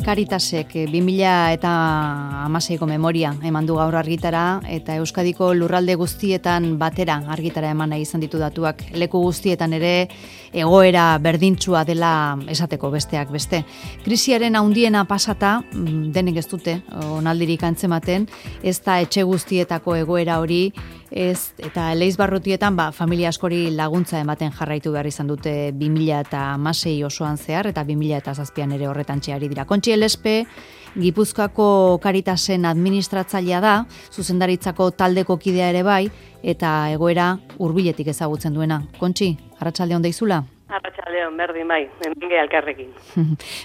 Caritasek 2016ko memoria eman du gaur argitara eta Euskadiko lurralde guztietan batera argitara eman nahi izan ditu datuak. Leku guztietan ere egoera berdintsua dela esateko besteak beste. Krisiaren handiena pasata, denek ez dute onaldirik antzematen, ez da etxe guztietako egoera hori, ez eta Eleizbarrutietan familia askori laguntza ematen jarraitu behar izan dute 2016 osoan zehar eta 2007an ere horretan txeari dira. Kontxi Elespe, Gipuzkoako Caritasen administratzailea da, zuzendaritzako taldeko kidea ere bai, eta egoera hurbiletik ezagutzen duena. Kontxi, arratsalde on deizula? Arratsaldeon, berdin bai, hemen ge elkarrekin.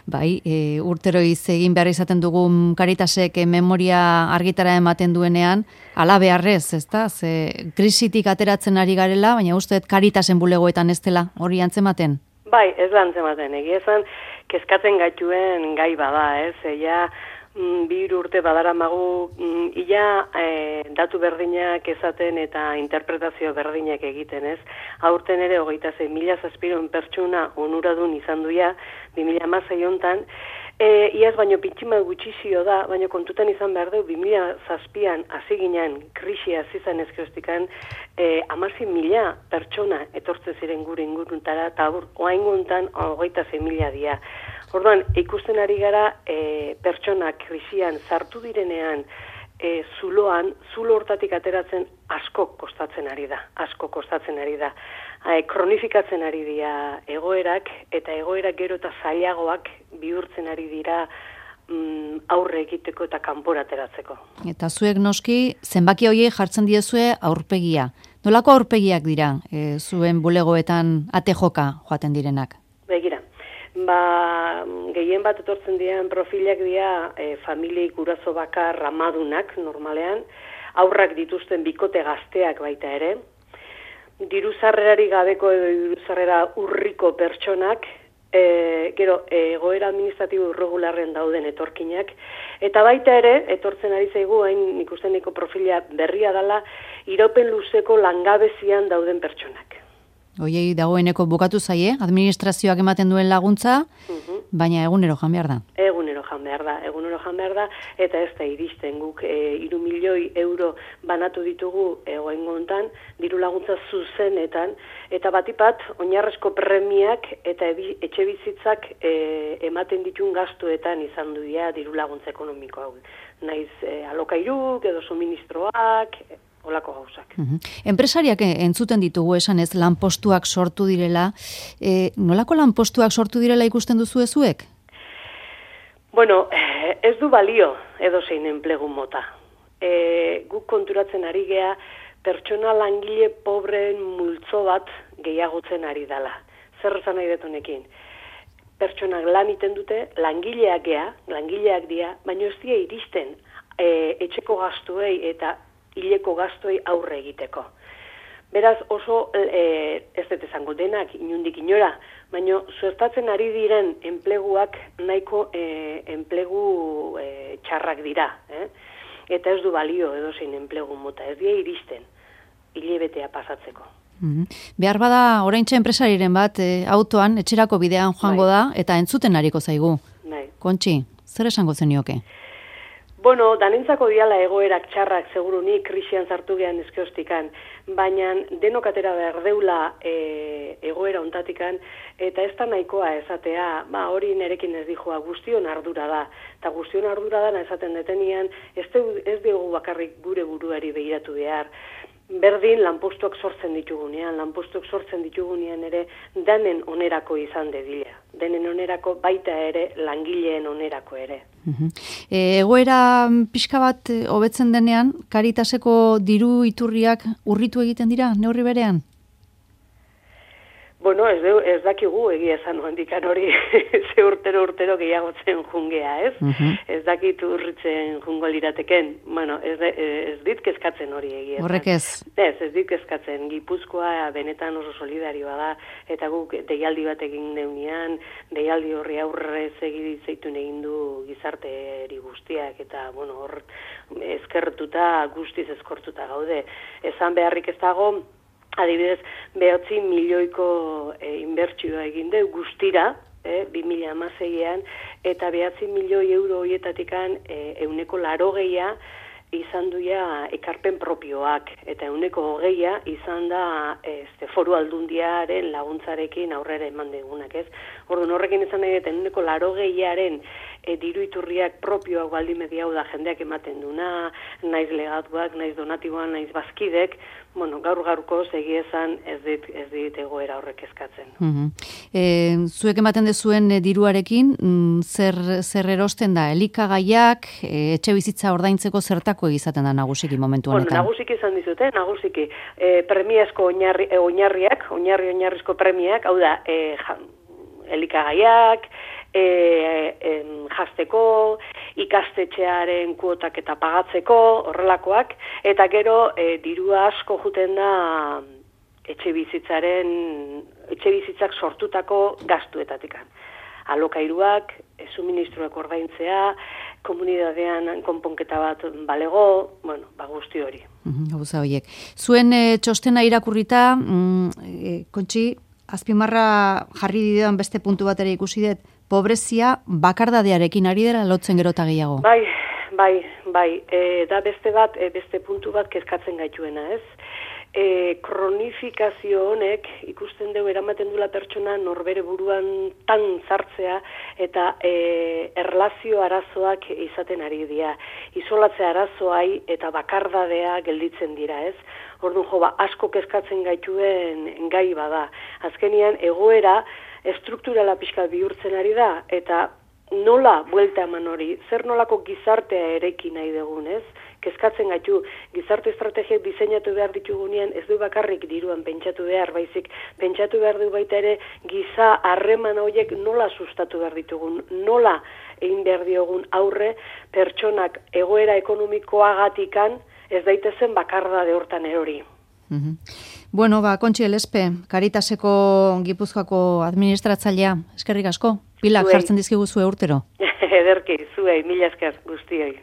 Bai, urteroiz egin behar izaten dugun Caritasek memoria argitara ematen duenean, ala beharrez, ezta? Ze krisitik ateratzen ari garela, baina uste Caritasen bulegoetan ez dela hori antzematen? Bai, ez da antzematen, egia esan kezkatzen gaituen gai bada, ez? Ja, 2 urte badaramagu datu berdinak esaten eta interpretazio berdinak egiten, ez? Aurten ere 26.000 pertsona onuradun izan duia 2016 hontan. Iaz baino pitximat gutxizio da, baina kontutan izan behar du 2007an hasi ginen krisia hasi zen ezkeroztikan 16.000 pertsona etortze ziren gure inguruntara eta oraingo hontan 26.000 dira. Orduan, ikusten ari gara pertsonak krisian sartu direnean zulo hortatik ateratzen asko kostatzen ari da. Kronifikatzen ari dira egoerak, eta egoerak gero eta zailagoak bihurtzen ari dira aurre egiteko eta kanpora ateratzeko. Eta zuek noski, zenbaki horiek jartzen diezue aurpegia. Nolako aurpegiak dira zuen bulegoetan ate joka joaten direnak? Begira, gehien bat etortzen diren profilak dira familiei guraso bakar amadunak normalean, aurrak dituzten bikote gazteak baita ere, diru-sarrerari gabeko edo diru-sarrera urriko pertsonak, gero egoera administratibo irregularren dauden etorkinak, eta baita ere, etortzen ari zaigu, hain ikusteniko profila berria dela, iraupen luzeko langabezian dauden pertsonak. Oiei dagoeneko bukatu zaie, administrazioak ematen duen laguntza, baina egunero jan behar da. Egunero jan behar da, eta ez da iristen guk 3 milioi euro banatu ditugu egoengo hontan, diru laguntza zuzenetan, eta batipat, oinarrezko premiak eta etxe bizitzak ematen ditun gastuetan izan duia diru laguntza ekonomiko hau. Naiz alokairuk edo suministroak, olako gauzak. Enpresariak entzuten ditugu esan ez lanpostuak sortu direla. Nolako lanpostuak sortu direla ikusten duzu ezuek? Bueno, ez du balio edozein enplegu mota. Guk konturatzen ari gea pertsona langile pobreen multzo bat gehiagotzen ari dela. Zer esan nahi dut honekin? Pertsonak lan iten dute, langileak dira, baina ez dira iristen etxeko gastuei eta hileko gastuei aurre egiteko. Beraz oso, ez dut esango denak, inundik inora, baina suertatzen ari diren enpleguak nahiko enplegu txarrak dira. Eta ez du balio edozein enplegu mota, ez dira iristen, hilebetea pasatzeko. Behar bada oraintxe enpresariren bat autoan, etxerako bidean joango da, eta entzuten ariko zaigu. Kontxi, zer esango zenioke? Bueno, danentzako diala egoerak txarrak segurunik krisian sartu gehan ezkeoztikan, baina denok atera behar deula egoera ontatikan, eta ez da nahikoa esatea, hori nerekin ez dijoa, guztion ardura da. Eta guztion ardura da esaten detenian, ez dugu bakarrik gure buruari begiratu behar. Berdin lanpostuak sortzen ditugunean ere danen onerako izan dedila. Denen onerako baita ere langileen onerako ere. Egoera pixka bat hobetzen denean, Caritaseko diru iturriak urritu egiten dira, neurri berean? Bueno, ez dakigu egia esan handikan hori ze urtero gehiagotzen jungea, ez? Ez dakit urritzen jungo lirateken. Bueno, ez dit kezkatzen hori egia esan. Horrek ez? Ez dit kezkatzen. Gipuzkoa benetan oso solidarioa da, eta guk deialdi bat egin neunean, deialdi horri aurre zeitun egin du gizarteri guztiak, eta bueno, hor guztiz eskortuta gaude. Esan beharrik ez dago, adibidez, 9 milioiko inbertsioa egin du guztira, 2016an, eta 9 milioi euro horietatikan 80% izan duia ekarpen propioak, eta 20% izan da foru aldundiaren laguntzarekin aurrera eman degunak, ez? Orduan horrekin izan nahi, eta 20% diru iturriak propioak baldin media hau da jendeak ematen duna, naiz legatuak, naiz donatiboan, naiz bazkidek, bueno, gaur-gaurko esan ez dit egoera horrek eskatzen. Zuek ematen dezuen diruarekin, zer erosten da? Elikagaiak, etxe bizitza ordaintzeko zertako izaten da nagusiki momentu honetan? Bueno, nagusiki izan dizute, nagusiki. Premiazko oinarrizko premiak, hau da, elikagaiak, jasteko, ikastetxearen kuotak eta pagatzeko, horrelakoak, eta gero dirua asko juten da etxe bizitzak sortutako gastuetatikan. Alokairuak, suministroak ordaintzea, komunidadean konponketa bat balego, bueno, guzti hori. Gauza horiek. Zuen txostena irakurrita, Kontxi, azpimarra jarri didan beste puntu bat ere ikusi dut, pobrezia bakardadearekin ari dela lotzen gero eta gehiago. Bai. Da beste puntu bat kezkatzen gaituena, ez? Kronifikazio honek ikusten dugu eramaten dula pertsona norbere buruan tan zartzea eta erlazio arazoak izaten ari dira. Isolatzea arazoai eta bakardadea gelditzen dira, ez? Orduan asko kezkatzen gaituen gai bada. Azkenian egoera estrukturala pixka bihurtzen ari da, eta nola buelta eman hori, zer nolako gizartea ereki nahi dugun, ez? Kezkatzen gaitu, gizarte estrategiak diseinatu behar ditugunean, ez du bakarrik diruan pentsatu behar, baizik pentsatu behar du baita ere giza harreman horiek nola sustatu behar ditugun, nola egin behar diogun aurre pertsonak egoera ekonomikoagatikan ez daitezen bakardade hortan erori. Bueno, Kontxi Elespe, Caritaseko Gipuzkoako administratzailea, eskerrik asko, pilak jartzen dizkiguzu urtero. Ederki, zuei, mila esker guztioi.